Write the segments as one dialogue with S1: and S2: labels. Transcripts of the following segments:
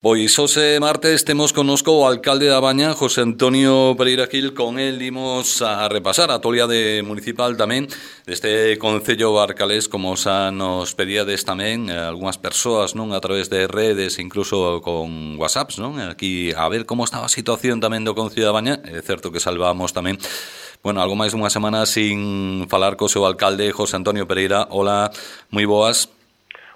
S1: Pois hoxe martes temos connosco o alcalde da Baña, José Antonio Pereira Gil. Con el imos a repasar a actualidade municipal tamén deste Concello Barcalés, como xa nos pedíades tamén algunhas persoas, non, a través de redes, incluso con WhatsApps, non? Aquí a ver como estaba a situación tamén do Concello da Baña. É certo que salvamos tamén, bueno, algo máis dunha semana sin falar co seu alcalde, José Antonio Pereira. Hola, moi boas.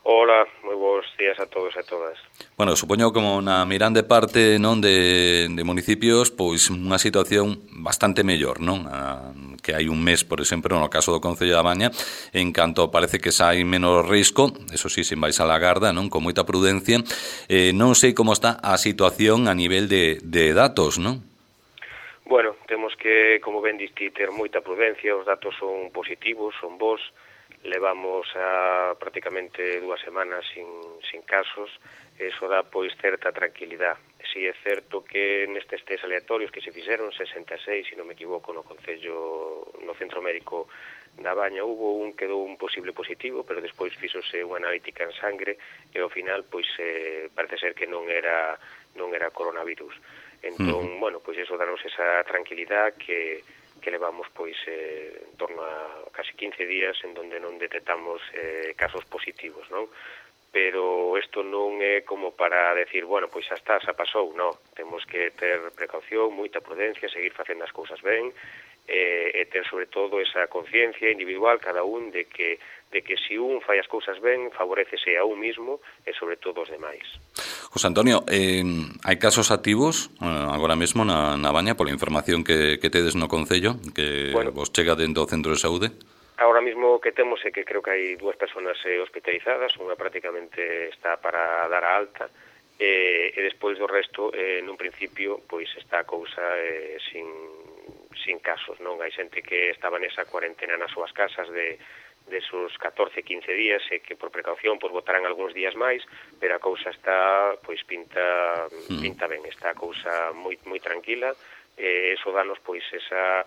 S2: Hola, moi bons días a todos e a todas.
S1: Bueno, supoño como na mirande parte, non, de municipios, pois unha situación bastante mellor, non? Que hai un mes, por exemplo, no caso do Concello da Baña, en canto parece que xa hai menos risco, eso sí, sen vais a la garda, non? Con moita prudencia. Non sei como está a situación a nivel de datos, non?
S2: Bueno, temos que, como ben diste, ter moita prudencia, os datos son positivos, son bons, levamos a prácticamente 2 semanas sin casos, eso dá pois certa tranquilidade. Si é certo que nestes test aleatorios que se fixeron, 66, se non me equivoco, no Concello, no Centro Médico da Baña, hubo un que dou un posible positivo, pero despois fixose unha analítica en sangre e ao final pois parece ser que non era coronavirus. Entón, bueno, pois eso danos esa tranquilidade que levamos pois en torno a casi 15 días en donde non detectamos casos positivos, non? Pero isto non é como para decir, bueno, pois xa está, xa pasou, non. Temos que ter precaución, moita prudencia, seguir facendo as cousas ben, e ter sobre todo esa conciencia individual cada un de que se un fai as cousas ben, favorecese a un mismo e sobre todo os demais.
S1: José Antonio, hai casos activos agora mesmo na Baña pola información que tedes no Concello, que vos chega dentro do centro de saúde?
S2: Ahora mismo que temos é que creo que hai 2 personas hospitalizadas, unha prácticamente está para dar a alta, e despois do resto, nun principio, pois está a cousa sin casos, non? Hai xente que estaba nesa cuarentena nas súas casas de esos 14-15 días e que por precaución pois botarán algúns días máis, pero a cousa está, pois pinta ben, está a cousa moi tranquila, e eso danos pois esa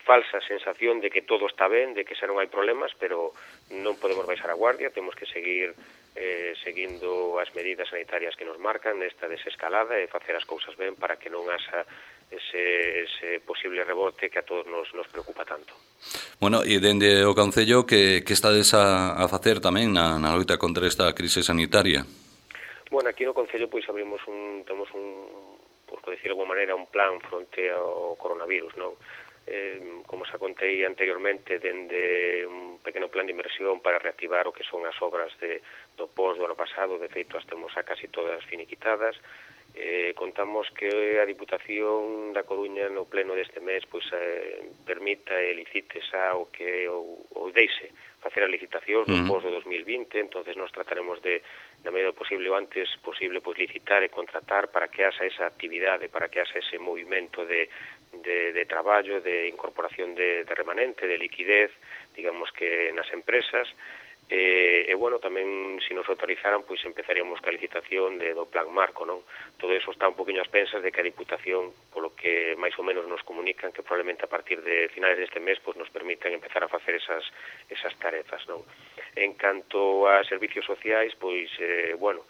S2: falsa sensación de que todo está ben, de que xa non hai problemas, pero non podemos baixar a guardia, temos que seguir seguindo as medidas sanitarias que nos marcan nesta desescalada e facer as cousas ben para que non haxa ese posible rebote que a todos nos preocupa tanto.
S1: Bueno, e dende o Concello que estades a facer tamén na loita contra esta crise sanitaria?
S2: Bueno, aquí no Concello pois temos por decir de alguma maneira, un plan fronte ao coronavirus, non? Como xa contei anteriormente, dende un pequeno plan de inversión para reactivar o que son as obras do POS do ano pasado, de feito as temos a casi todas finiquitadas. Contamos que a Diputación da Coruña no pleno deste mes pois permita e licite xa o que ou deixe facer a licitación do POS do 2020, entonces nos trataremos de, na medida posible o antes posible, pois licitar e contratar para que haxa esa actividade, para que haxa ese movimento de traballo, de incorporación de remanente, de liquidez, digamos que nas empresas. E bueno, tamén se nos autorizaran, pois empezaríamos ca licitación do plan marco, non? Todo eso está un poquinho ás pensas de que a Diputación, polo que máis ou menos nos comunican, que probablemente a partir de finales deste mes pois nos permitan empezar a facer esas tarefas, non? En canto a servicios sociais, pois, bueno,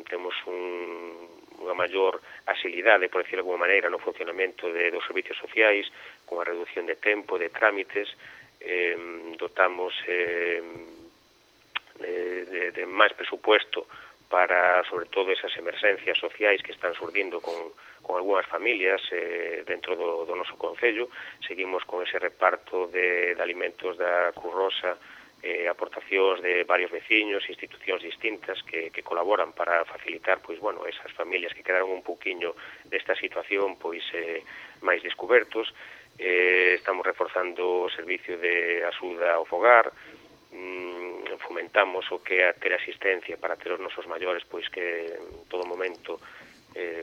S2: temos unha maior axilidade, por decirlo de alguma maneira, no funcionamento dos servicios sociais, con a reducción de tempo, de trámites, dotamos de máis presupuesto para, sobre todo, esas emerxencias sociais que están surdindo con algunhas familias dentro do noso Concello. Seguimos con ese reparto de alimentos da Cruz Rosa, aportacións de varios veciños, institucións distintas que colaboran para facilitar, pois, bueno, esas familias que quedaron un pouquiño desta situación, pois, máis descubertos. Estamos reforzando o servicio de axuda ao fogar, fomentamos o que é ter asistencia para ter os nosos maiores, pois, que en todo momento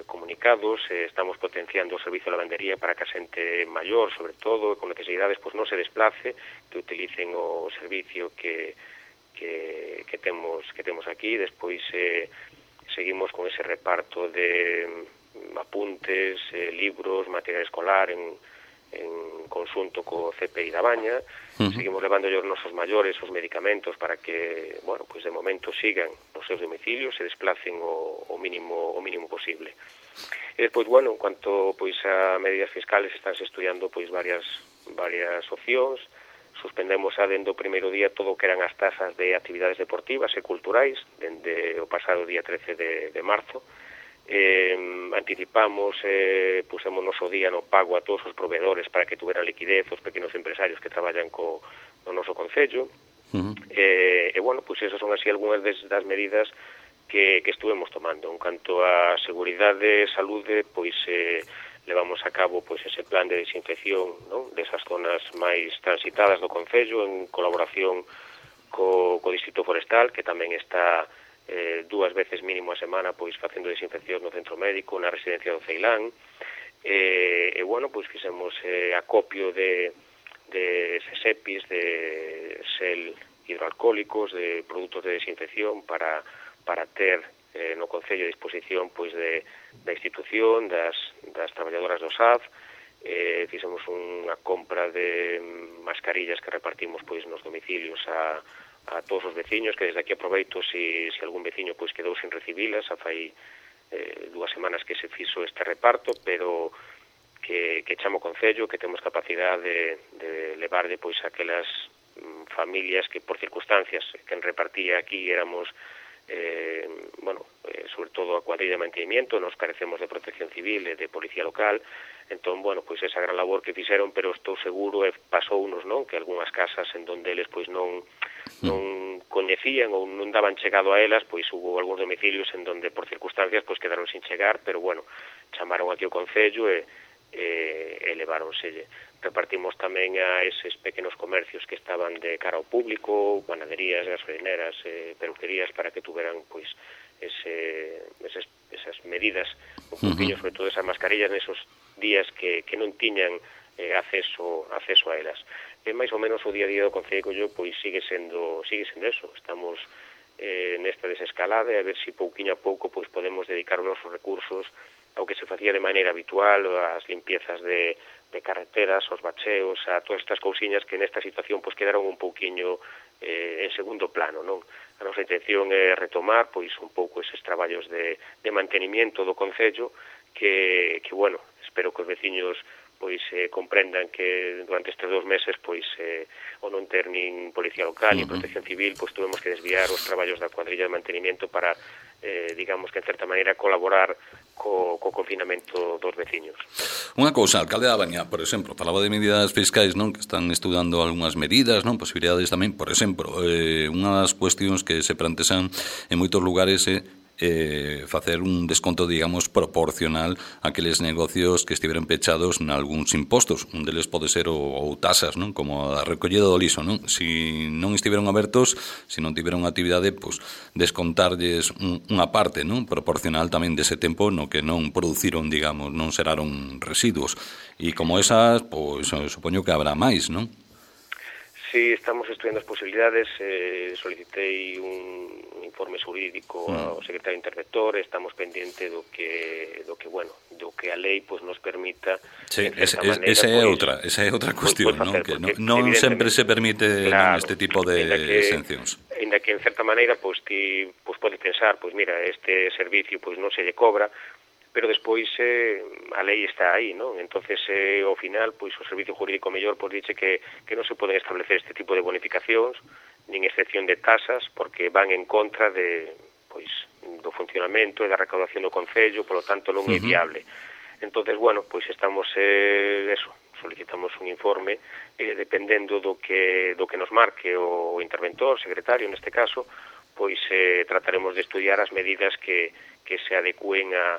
S2: comunicados, estamos potenciando o servicio de lavandería para que a xente maior, sobre todo, con necesidades, pois non se desplace, que utilicen o servicio que temos aquí. Despois seguimos con ese reparto de apuntes, libros, material escolar en conxunto co CPI da Baña. Seguimos levando os nosos maiores os medicamentos para que, bueno, pois de momento sigan nos seus domicilios, se desplacen o mínimo posible. E despois, bueno, en cuanto pois a medidas fiscales, estánse estudiando pois varias opcións. Suspendemos dende o primeiro día todo o que eran as tasas de actividades deportivas e culturais dende o pasado día 13 de marzo. Anticipamos, pusemos noso día no pago a todos os proveedores para que tuveran liquidez os pequenos empresarios que traballan no noso concello. Bueno, pois esas son así algunhas das medidas que estuvemos tomando. En canto a seguridade e saúde, pois levamos a cabo pois ese plan de desinfección, non, desas zonas máis transitadas do concello en colaboración co Distrito Forestal, que tamén está 2 veces mínimo a semana pois facendo desinfección no centro médico, na residencia do Ceilán. Bueno, pois fixemos acopio de SEPIs, de sel hidroalcohólicos, de produtos de desinfección para ter no concello a disposición pois da institución, das traballadoras do SAF. Fixemos unha compra de mascarillas que repartimos pois nos domicilios a todos os veciños, que desde aquí aproveito se algún veciño pois quedou sin recibilas. Fai 2 semanas que se fixo este reparto, pero que chamo o concello, que temos capacidade de levarlle pois aquelas familias que por circunstancias quen repartía aquí éramos sobre todo a cuadrilla de mantenimiento, nos carecemos de protección civil e de policía local. Entón, bueno, pois esa gran labor que fixeron, pero estou seguro, pasounos, non, que algunhas casas en donde eles pois non coñecían ou non daban chegado a elas, pois hubo algúns domicilios en donde por circunstancias pois quedaron sin chegar, pero bueno, chamaron aquí ao concello e leváronselle. Repartimos tamén a eses pequenos comercios que estaban de cara ao público, panaderías, gasolineras, peluquerías, para que tuveran pois esas medidas un poquinho, sobre todo esas mascarillas nesos días que non tiñan acceso a elas. máis ou menos o día a día do concello pois sigue sendo eso. Estamos nesta desescalada e a ver se pouquiño a pouco pois podemos dedicar os nosos recursos ao que se facía de maneira habitual, as limpiezas de carreteras, os bacheos, a todas estas cousiñas que nesta situación pois quedaron un pouquiño en segundo plano, non? A nosa intención é retomar pois un pouco eses traballos de mantenimiento do concello que bueno, espero que os veciños pois comprendan que durante estes 2 meses pois o non ter nin policía local nin protección civil, pois tuvemos que desviar os traballos da cuadrilla de mantenimiento para digamos que en certa maneira colaborar co confinamento dos veciños.
S1: Unha cousa, alcalde da Baña, por exemplo, falaba de medidas fiscais, non, que están estudando algunhas medidas, non, posibilidades tamén, por exemplo, unha das cuestións que se plantean en moitos lugares é facer un desconto, digamos, proporcional a aqueles negocios que estiveran pechados nalgúns impostos. Un deles pode ser ou tasas, non? Como a recollida do liso, non? Si non estiveron abertos, se non tiveron actividade, pois descontarlles unha parte, non? Proporcional tamén dese tempo no que non produciron, digamos, non xeraron residuos. E como esas, pois supoño que habrá máis, non?
S2: Sí, estamos estudiando as posibilidades, solicitei un informe xurídico ao secretario interventor, estamos pendente do que a lei pois nos permita.
S1: Sí, esa é outra cuestión, non? Que non sempre se permite este tipo de exencións.
S2: Ainda que en certa maneira pois ti pois podes pensar, pois mira, este servicio pois non se lle cobra, pero despois a lei está aí, non? Entonces, ao final, pois o servicio jurídico mellor pois dice que non se poden establecer este tipo de bonificacións, nin excepción de tasas, porque van en contra do funcionamento e da recaudación do concello, polo tanto non é viable. Entonces, bueno, pois estamos solicitamos un informe dependendo do que nos marque o interventor, o secretario neste caso, pois trataremos de estudiar as medidas que se adecúen a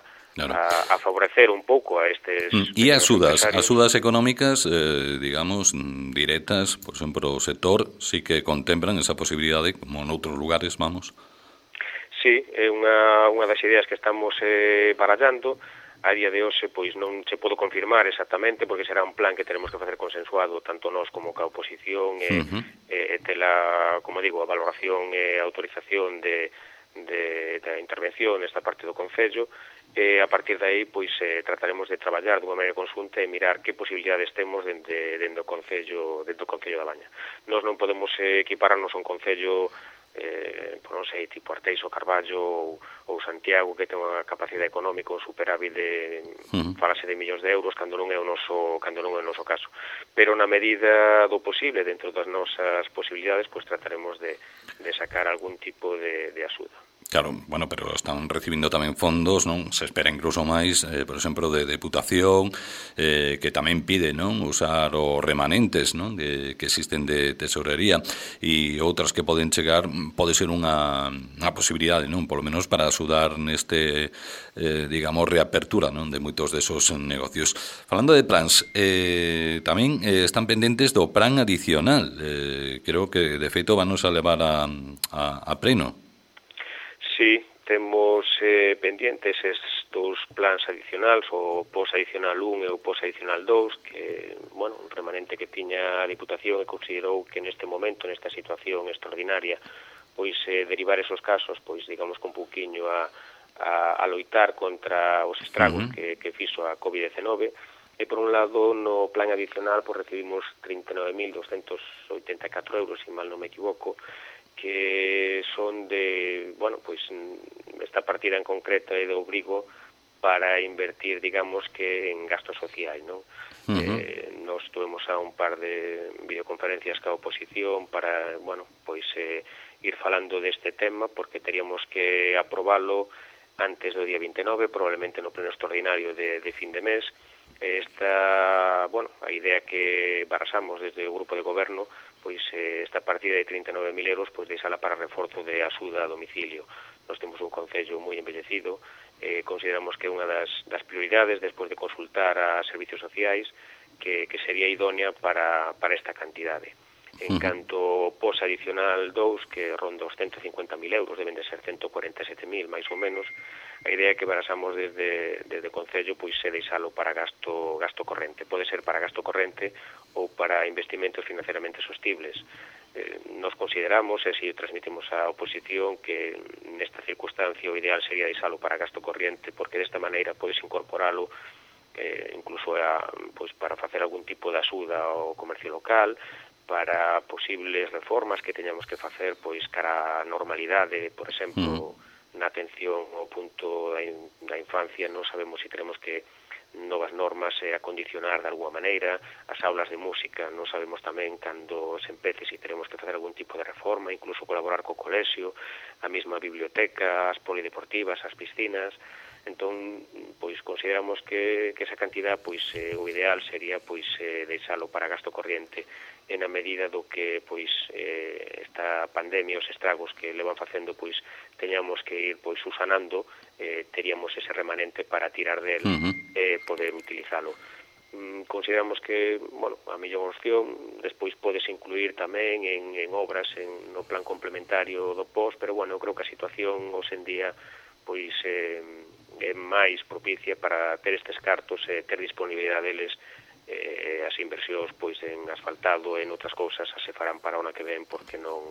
S2: favorecer un pouco a estes...
S1: E as sudas económicas, digamos, directas, por exemplo, o sector sí que contemplan esa posibilidade, como noutros lugares, vamos.
S2: Sí, é unha das ideas que estamos barallando. A día de hoxe, pois non se podo confirmar exactamente, porque será un plan que tenemos que facer consensuado, tanto nós como ca oposición, e tela, como digo, a valoración e autorización da intervención nesta parte do concello. e a partir de aí pois trataremos de traballar dunha maneira conxunta e mirar que posibilidades temos dentro do Concello da Baña. Nós non podemos equipararnos a un Concello non sei, tipo Arteixo ou Carballo ou Santiago, que ten unha capacidade económica, un superávit de falase de millóns de euros cando non é o noso caso. Pero na medida do posible, dentro das nosas posibilidades, pois trataremos de sacar algún tipo de axuda.
S1: Claro, bueno, pero están recibindo tamén fondos, non? Se espera incluso máis, por exemplo, de Deputación, que tamén pide, non? Usar os remanentes, non? Que existen de tesorería e outras que poden chegar, pode ser unha posibilidade, non? Por lo menos para axudar neste, digamos, reapertura, non? De moitos desos negocios. Falando de plans, tamén están pendentes do plan adicional. Creo que, de feito, vanos a levar a pleno.
S2: Sí, temos pendientes estes plans adicionales, o POS adicional 1 e o POS adicional 2, que, bueno, un remanente que tiña a Diputación e considerou que neste momento, nesta situación extraordinaria, pois derivar esos casos, pois digamos con pouquiño a loitar contra os estragos que fixo a COVID-19, e por un lado no plan adicional pois recibimos 39.284 euros, se mal non me equivoco, que son de, bueno, pois esta partida en concreto é de obrigo para invertir, digamos, que en gasto social, non? Nos tuvemos a un par de videoconferencias ca oposición para, bueno, pois ir falando deste tema, porque teríamos que aprobalo antes do día 29, probablemente no pleno extraordinario de fin de mes. Bueno, a idea que barasamos desde o grupo de goberno, pois esta partida de 39.000 euros, pois deixala para reforzo de axuda a domicilio. Nós temos un concello moi envellecido, consideramos que é unha das prioridades, despois de consultar a servicios sociais, que sería idónea para esta cantidade. En canto ao POS adicional 2, que ronda os 150.000 euros, deben de ser 147.000 máis ou menos, a idea que barasamos desde o Concello pois é deixalo para gasto corrente. Pode ser para gasto corrente ou para investimentos financeiramente sostibles. Nos consideramos, e así transmitimos á oposición, que nesta circunstancia o ideal sería deixalo para gasto corrente, porque desta maneira podes incorporalo incluso pois para facer algún tipo de axuda ao comercio local, para posibles reformas que teñamos que facer pois cara á normalidade, por exemplo, na atención ao punto da infancia. Non sabemos se teremos que novas normas acondicionar de alguma maneira, as aulas de música non sabemos tamén cando se empece se teremos que facer algún tipo de reforma, incluso colaborar co colexio, a mesma biblioteca, as polideportivas, as piscinas. Entón, pois consideramos que esa cantidad, pois o ideal sería pois deixalo para gasto corriente, e na medida do que pois esta pandemia, os estragos que levan facendo, pois teñamos que ir pois usanando, teríamos ese remanente para tirar del e poder utilizalo. Consideramos que, bueno, a mellor opción despois podes incluir tamén en obras no plan complementario do POS, pero bueno, eu creo que a situación hoxe en día pois é máis propicia para ter estes cartos e ter disponibilidade deles. As inversións pois en asfaltado e en outras cousas se farán para o ano que ven, porque non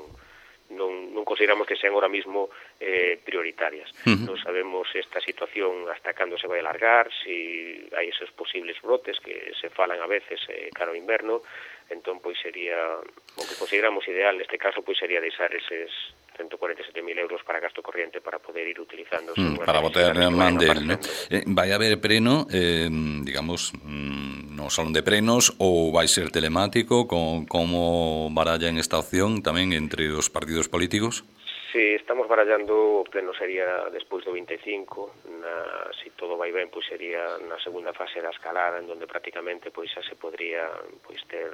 S2: consideramos que sean ahora mismo prioritarias. Non sabemos esta situación hasta cando se vai alargar, se hai esos posibles brotes que se falan a veces cara ao inverno. Entón, pois sería o que consideramos ideal neste caso, pois sería deixar eses 147.000 euros para gasto corriente para poder ir utilizando
S1: para botar man del, ¿no? Vai haber pleno, digamos, no salón de plenos, ou vai ser telemático? Como barallan esta opción tamén entre os partidos políticos?
S2: Sí, estamos barallando. O pleno sería despois do 25, se todo vai ben, pois sería na segunda fase da escalada, en donde prácticamente pois xa se podría pois ter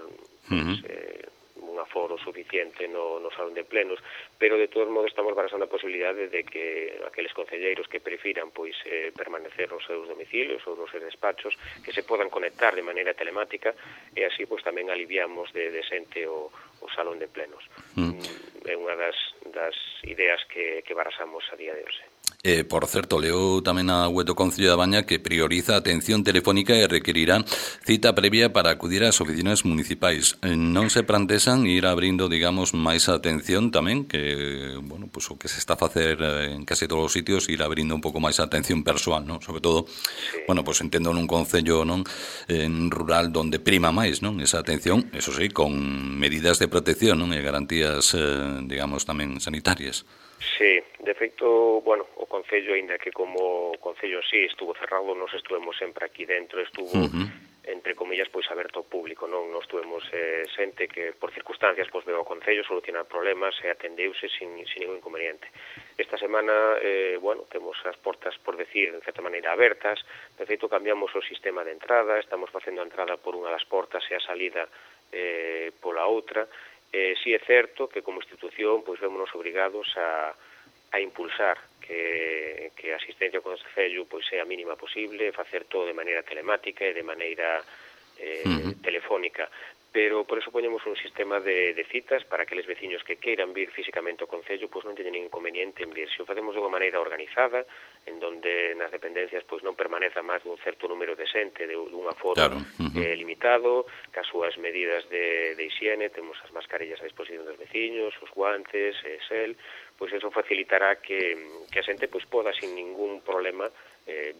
S2: un aforo suficiente no salón de plenos, pero de todos modos estamos barasando a posibilidade de que aqueles concelleiros que prefiran pois permanecer nos seus domicilios ou nos seus despachos, que se podan conectar de maneira telemática, e así pois tamén aliviamos de xente o salón de plenos. É unha das ideas que barasamos a día de hoxe.
S1: Por certo, leo tamén na web do Concello da Baña que prioriza a atención telefónica e requerirá cita previa para acudir ás oficinas municipais. Non se plantean ir abrindo, digamos, máis atención tamén, que, bueno, pues o que se está a facer en case todos os sitios, ir abrindo un pouco máis a atención persoal, non? Sobre todo, bueno, pues entendo nun concello, non, en rural donde prima máis, non, esa atención, eso sí, con medidas de protección, non, e garantías, digamos, tamén sanitarias.
S2: Sí, de feito, bueno, o Concello, aínda que como Concello sí estuvo cerrado, nos estuvemos sempre aquí dentro, estuvo, entre comillas, pois aberto ao público, non? Nos estuvemos xente que por circunstancias pois veo ao Concello solucionar problemas e atendeuse sin ningún inconveniente. Esta semana, bueno, temos as portas, por decir, en certa maneira abertas, de feito cambiamos o sistema de entrada, estamos facendo a entrada por unha das portas e a salida pola outra. Si é certo que como institución pois vémonos obrigados a impulsar que a asistencia ao Concello pois sea a mínima posible, facer todo de maneira telemática e de maneira telefónica, pero por eso poñemos un sistema de citas para que aqueles veciños que queiran vir físicamente ao Concello pois non teñen ningún inconveniente en vir. Se o facemos de unha maneira organizada, en donde nas dependencias pois non permaneza máis dun certo número de xente, dun aforo limitado, cas súas medidas de higiene, temos as mascarillas a disposición dos veciños, os guantes, gel, pois eso facilitará que a xente pois poda sin ningún problema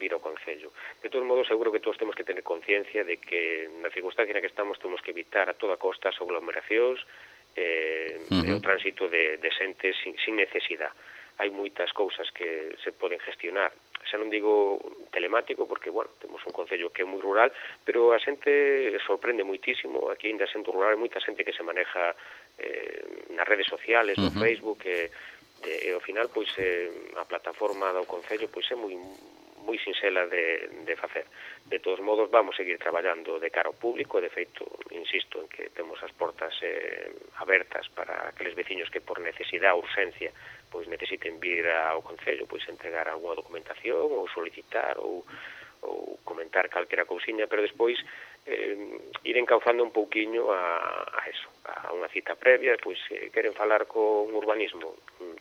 S2: vir ao Concello. De todos modos, seguro que todos temos que tener conciencia de que na circunstancia na que estamos temos que evitar a toda costa as aglomeracións e o tránsito de xente sin necesidade. Hai moitas cousas que se poden gestionar. Xa non digo telemático, porque, bueno, temos un concello que é moi rural, pero a xente sorprende moitísimo. Aquí ainda xente rural, hai moita xente que se maneja nas redes sociales, no Facebook, e ao final, pois, a plataforma do concello pois é moi sinxela de facer. De todos modos, vamos seguir traballando de cara ao público, de feito, insisto en que temos as portas abertas para aqueles veciños que por necesidade ou urxencia pois necesiten vir ao Concello, pois entregar algunha documentación ou solicitar ou comentar calquera cousiña, pero despois ir encauzando un pouquiño a eso, a unha cita previa, pois queren falar con urbanismo,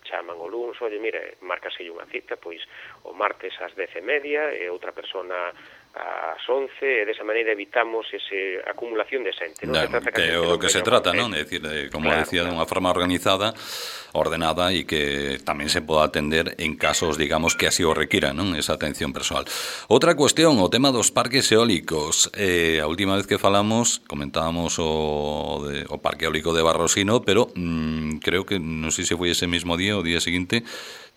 S2: chaman o luns, oye, mire, márcase unha cita, pois o martes ás 10:30 e outra persona ás 11, e desa maneira evitamos esa acumulación de xente.
S1: Non se trata que o que se trata, non? É dicir, como decía, de unha forma organizada, ordenada, e que tamén se poda atender en casos, digamos, que así o requiran, non? Esa atención persoal. Outra cuestión, o tema dos parques eólicos. A última vez que falamos, comentábamos o parque eólico de Barrosino, pero creo que, non sei se foi ese mesmo día, o día seguinte,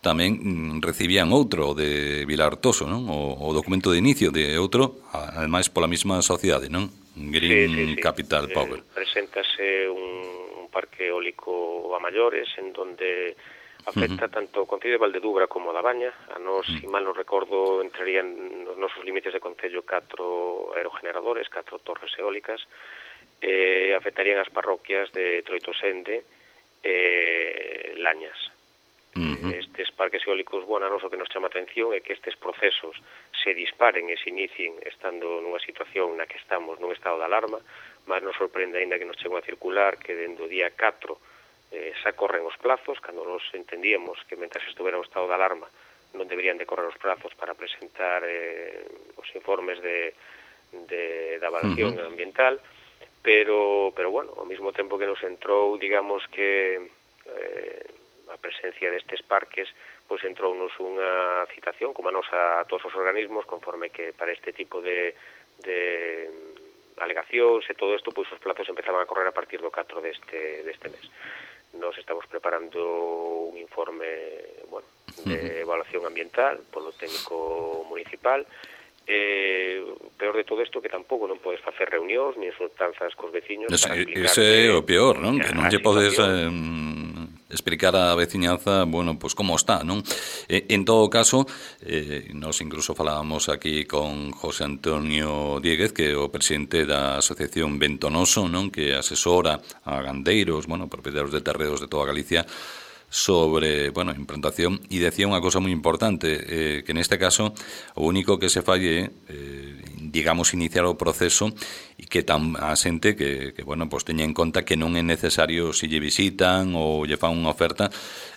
S1: tamén recibían outro de Vilartoso, non? O documento de inicio de outro, ademais pola mesma sociedade, non? Green Capital Power.
S2: Preséntase un parque eólico a maiores, en donde afecta tanto o Concello de Valdedugra como da Baña. A nós, se mal non recordo, entrarían nos nosos límites de Concello 4 aerogeneradores, 4 torres eólicas, afectarían as parroquias de Troitosende e Lañas. Estes parques eólicos, bueno, a nos o que nos chama a atención é que estes procesos se disparen e se inicien estando nunha situación na que estamos nun estado de alarma, mas nos sorprende ainda que nos chegou a circular que dende o día 4 xa corren os plazos, cando nos entendíamos que mentre estuvera o estado de alarma non deberían de correr os plazos para presentar os informes de evaluación ambiental, pero bueno, ao mesmo tempo que nos entrou, digamos que a presencia destes parques, pois entrounos unha citación, como a nos a todos os organismos, conforme que para este tipo de alegacións e todo isto, pois os plazos empezaban a correr a partir do 4 deste mes. Nos estamos preparando un informe, bueno, de evaluación ambiental polo técnico municipal. Peor de todo isto que tampouco non podes facer reunións ni insultanzas cos veciños para explicar.
S1: Ese é o peor, non? Que non lle podes explicar á veciñanza, bueno, pois como está, non? En todo caso, nos incluso falábamos aquí con José Antonio Dieguez, que é o presidente da Asociación Ventonoso, non? Que asesora a gandeiros, bueno, propietarios de terreos de toda Galicia, sobre, bueno, implantación, e decía unha cosa moi importante, que neste caso o único que se falle digamos, iniciar o proceso e que a xente que bueno, pues teña en conta que non é necesario se lle visitan ou lle fan unha oferta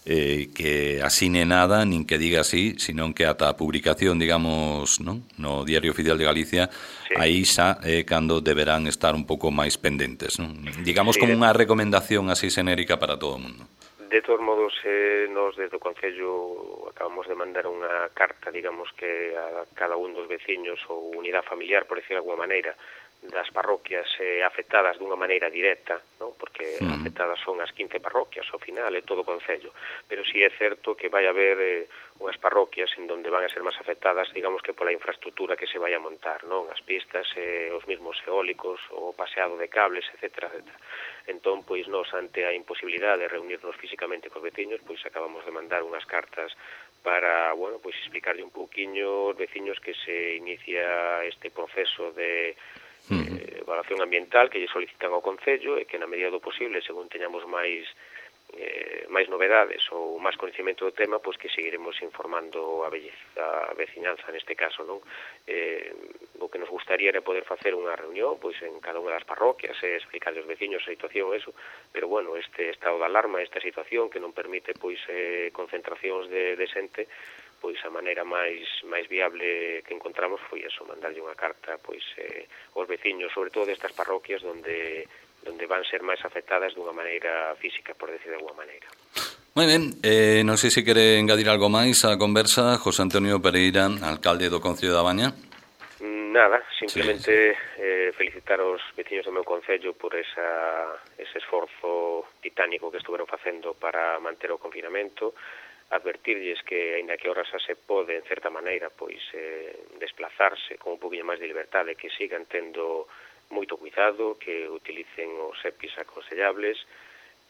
S1: que asine nada, nin que diga así, sino que ata a publicación, digamos, non? No Diario Oficial de Galicia, sí. Aí xa é cando deberán estar un pouco máis pendentes, non? Digamos, sí, como unha recomendación así xenérica para todo o mundo.
S2: De todos modos, nós desde o Concello acabamos de mandar unha carta, digamos, que a cada un dos veciños ou unidade familiar, por decir de alguma maneira, das parroquias afectadas dunha maneira directa, non? Porque afectadas son as 15 parroquias, ao final, é todo o Concello. Pero si é certo que vai haber unhas parroquias en donde van a ser máis afectadas, digamos que pola infraestructura que se vai a montar, non? As pistas, os mismos eólicos, o paseado de cables, etcétera, etcétera. Entón, pois, nós, ante a imposibilidade de reunirnos físicamente cos veciños, pois acabamos de mandar unhas cartas para, bueno, pois explicarlle un pouquiño aos veciños que se inicia este proceso de evaluación ambiental que lle solicitan ao Concello e que na medida do posible, según teñamos máis novedades ou máis coñecemento do tema, pois que seguiremos informando a veciñanza neste caso, non? O que nos gustaría era poder facer unha reunión pois en cada unha das parroquias e explicar aos veciños a situación, eso, pero bueno, este estado de alarma, esta situación que non permite pois concentracións de xente, pois a maneira máis viable que encontramos foi eso, mandarlle unha carta pois aos veciños, sobre todo destas parroquias onde van ser máis afectadas dunha maneira física, por decir de alguma maneira.
S1: Moi ben, non sei se quere engadir algo máis á conversa, José Antonio Pereira, alcalde do Concello da Baña.
S2: Nada, simplemente felicitar os veciños do meu concello por ese esforzo titánico que estuveron facendo para manter o confinamento, advertirlles que, aínda que ahora xa se pode, en certa maneira, pois desplazarse con un poquinho máis de liberdade, que sigan tendo moito cuidado, que utilicen os EPIs aconsellables,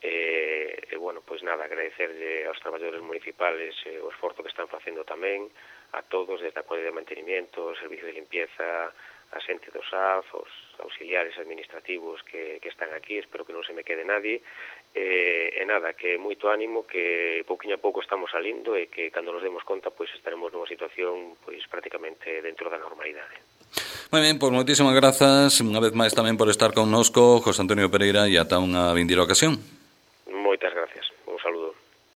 S2: e bueno, pois nada, agradecerlle aos traballadores municipales o esforzo que están facendo tamén, a todos, desde a Colla de Mantenimiento, o Servicio de Limpieza, a xente do SAF, os auxiliares administrativos que están aquí, espero que non se me quede nadie, e nada, que moito ánimo, que pouquinho a pouco estamos salindo e que cando nos demos conta, pois estaremos nunha situación pois prácticamente dentro da normalidade.
S1: Moi ben, pois moitísimas grazas unha vez máis tamén por estar connosco, José Antonio Pereira, e ata unha vindeira ocasión.